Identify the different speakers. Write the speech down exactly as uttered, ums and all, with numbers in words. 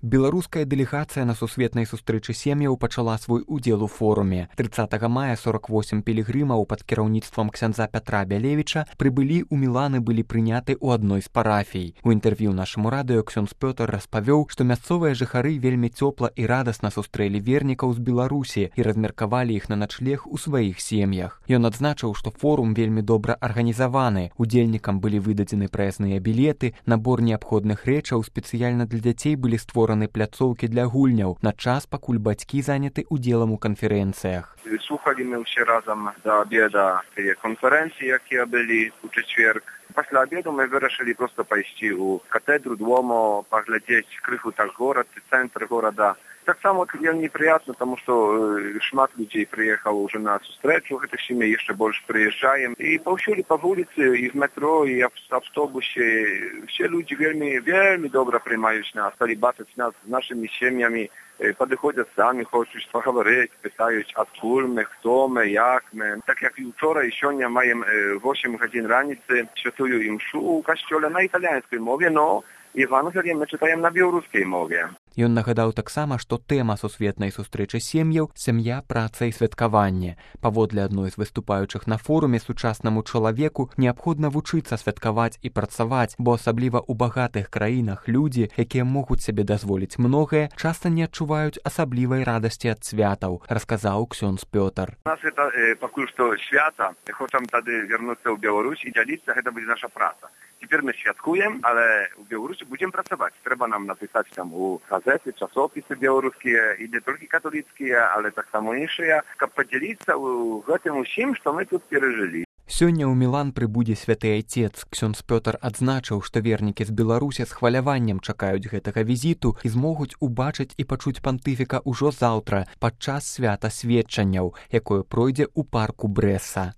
Speaker 1: Беларуская дэлегацыя на сусветнай сустрэчы сем'яў пачала свой удзел у форуме. трыццатага мая сорок восем пілігрымаў пад кіраўніцтвам ксяндза Пятра Бялевіча прыбылі ў Мілан і былі прыняты ў адной з парафій. У інтэрв'ю нашаму радыё ксёндз Пётр распавёў, што мясцовыя жыхары вельмі цёпла і радасна сустрэлі вернікаў з Беларусі і размеркавалі іх на начлег у сваіх сем'ях. Ён адзначыў, што форум вельмі добра арганізаваны. Удзельнікам былі выдадзены праязныя білеты, набор неабходных рэчаў, спецыяльна для дзяцей былі створаны пляцоўкі для гульняў на час, пакуль бацькі заняты удзелам у канферэнцыях.
Speaker 2: Слухали мы все разом до обеда конференции, які были у четверг. После обеда мы вирішили просто пойти у катедру Дуомо, поглядеть крыху так город, центр города. Так само неприятно, потому что шмат людей приехал уже на встречу, это с ними еще больше приезжаем. И повсюду по улице, и в метро, и в автобусе, все люди вельми, вельми добро принимают нас, стали бачить нас с нашими семьями, подходять самі, хочуть поговорити, питають, откуль ми, хто ми, як ми. Так як і вчора, і сьогодні маємо вісім годин раніці, святую імшу у костьолі на італійській мові, но Євангеліє ми читаємо на білоруській мові.
Speaker 1: Ён нагадаў таксама, што тэма сусветнай сустрэчы сем'яў сям'я, праца і святкаванне. Паводле адной з выступаючых на форуме сучаснаму чалавеку неабходна вучыцца святкаваць і працаваць, бо асабліва ў багатых краінах людзі, якія могуць сабе дазволіць многае, часта не адчуваюць асаблівай радасці ад святаў, расказаў ксёндз Пётр.
Speaker 2: У нас это э, пакуль што свята, хочам тады вярнуцца ў Беларусь і дзяліцца, гэта будзе наша праца. Цяпер мы святкуем, але ў Беларусі будзем працаваць. Трэба нам напісаць там у газеты, часопісы беларускія, і не толькі католіцкія, але так само іншыя, каб падзяліцца ў гэтым усім, што мы тут перажылі.
Speaker 1: Сёння ў Мілан прыбудзе святы айцец. Ксёндз Пётр адзначыў, што вернікі з Беларусі з хваляваннем чакаюць гэтага візіту і змогуць убачыць і пачуць пантыфіка ўжо заўтра, падчас свята сведчанняў, якое пройдзе ў парку Брэса.